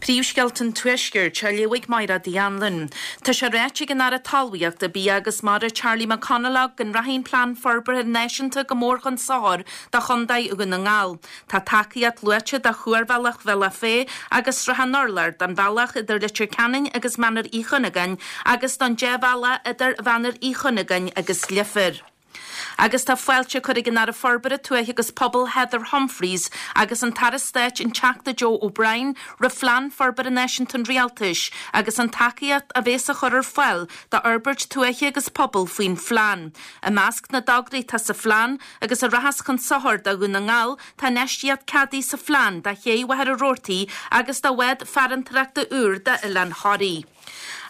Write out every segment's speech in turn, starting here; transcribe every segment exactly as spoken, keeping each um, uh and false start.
Príomhscéalta an Tuaiscirt á léamh ag Máire Dianlin. Tá sé ráite ag an Aire Talmhaíochta Bia agus Mara Charlie McConalogue go rachaidh an Plean Forbartha Náisiúnta go mór chun sochair do Chontae Dhún na nGall. Tá tacaíocht luaite do chuarbhealach Bhealach Féich agus Sruthán Urláir don bhealach idir Leitir Ceanainn agus Mainír Uí Chuinneagáin agus don débhealach idir Mhainír Uí Chuinneagáin agus Leifear. Agus tá fáilte curtha ag an Aire Forbartha Tuaithe agus Pobail Heather Humphreys agus an tAire Stáit an Teachta Joe O'Brien roimh Phlean Forbartha Náisiúnta an Rialtais agus an tacaíocht a bheas á chur ar fáil d'fhorbairt tuaithe agus pobail faoin phlean. I measc na dtograí atá sa phlean agus a rachas chun sochair do Dhún na nGall tá infheistíocht ceadaithe sa phlean do ché Mhachaire Rabhartaigh agus do bhád farantóireachta úr d'Oileán Thoraí.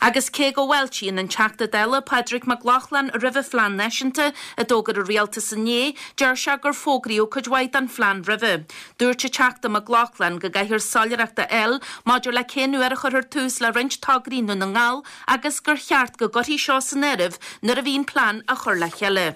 Agus cé go bhfáiltíonn an Teachta Dála Pádraig Mac Lochlainn roimh an phlean náisiúnta a d'fhógair an rialtas inné, deir sé gur fógraíodh cuid mhaith den phlean roimhe. Dúirt an Teachta Mac Lochlainn go gcaithfear soiléireacht a fháil maidir le cén uair a chuirfear tús le roinnt tograí i nDún na nGall agus gur cheart go gcuirfí seo san áireamh nuair a bhíonn plean á chur le chéile.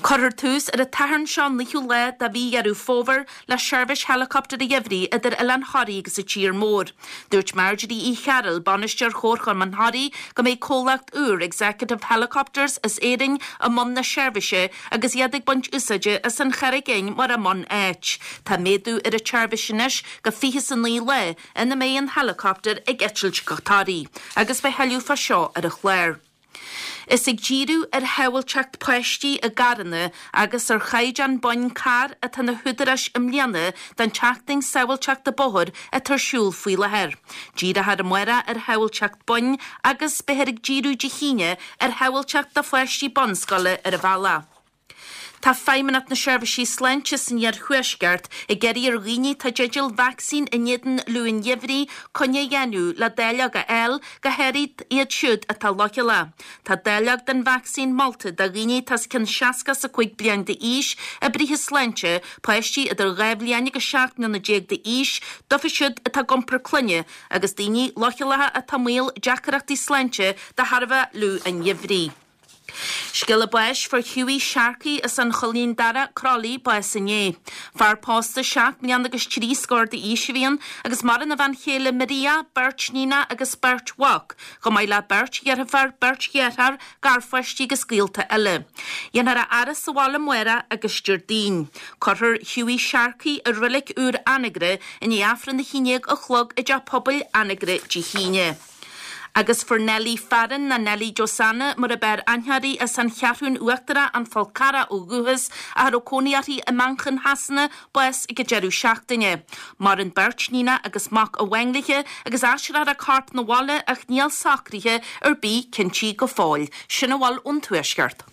Cuirfear tús ar an Satharn seo naoú lá de mhí Dheireadh Fómhair le seirbhís helicopter gheimhridh idir Oileán Thoraí agus an tír mór. Dúirt Marjorie Uí Chearúil, bainisteoir Chomharchumann Thoraí, go mbeidh comhlacht úr Executive Helicopters as Éirinn i mbun na seirbhíse agus iad ag baint úsáide as an Charraig Fhinn mar a mbun-áit. Tá méadú ar an tseirbhís anois go fiche is a naoi lá ina mbeidh an helicopter ag eitilt go Toraí, agus beidh tuilleadh fá seo ar an chlár. Is ag díriú ar shábháilteacht páistí i gcarranna agus ar chaighdeán boinn carr atá na húdaráis i mbliana don tseachtain sábháilteachta bóthair atá ar siúl faoi láthair. Díreofar amárach ar shábháilteacht boinn agus beifear ag díriú Dé hAoine ar shábháilteacht do pháistí bunscoile ar an bhealach. Tá Feidhmeannacht na Seirbhísí Sláinte san Iarthuaisceart ag iarraidh ar dhaoine atá i dteideal vacsaín in éadan fhliú an gheimhridh coinne a dhéanamh le dáileog a fháil, go háirid iad siúd atá leochaileach. Tá dáileog den vacsaín molta do dhaoine atá os cionn seasca is a cúig bliain d'aois, oibrithe sláinte, páistí idir dhá bhliain agus seacht mbliana déag d'aois, dóibh siúd atá ag iompar clainne, agus daoine leochaileacha atá i mbaol deacrachtaí sláinte de thairbhe fhliú an gheimhridh. Scéala báis fuair Hughie Sharkey as an Choillín Dara, Crolly, bás inné. Fear pósta seacht mbliana agus trí scór d'aois a bhí ann agus maireann a bhean chéile Maria, beirt níonacha agus beirt mhac, chomh maith le beirt dheirfiúr, beirt dheartháir, garpháistí agus gaolta eile. Dhéanfar a fhaire sa bhaile amárach agus Déardaoin. Cuirfear Hughie Sharkey i reilig úr Anagaire i ndiaidh Aifreann a haon déag a chlog i dTeach Pobail Anagaire Dé hAoine. Agus fuair Nellie Farren nó Nellie Josanna mar ab fhearr aithne uirthi as an Cheathrún Uachtarach an Fál Carrach ó dhúchas ach a raibh cónaí uirthi i Manchain Shasana bás ag an deireadh seachtaine. Maireann beirt níonacha agus mac amháin léi agus aistreofar a corp 'na bhaile ach níl socruithe ar bith cinntí go fóill. Sin a bhfuil ón Tuaisceart.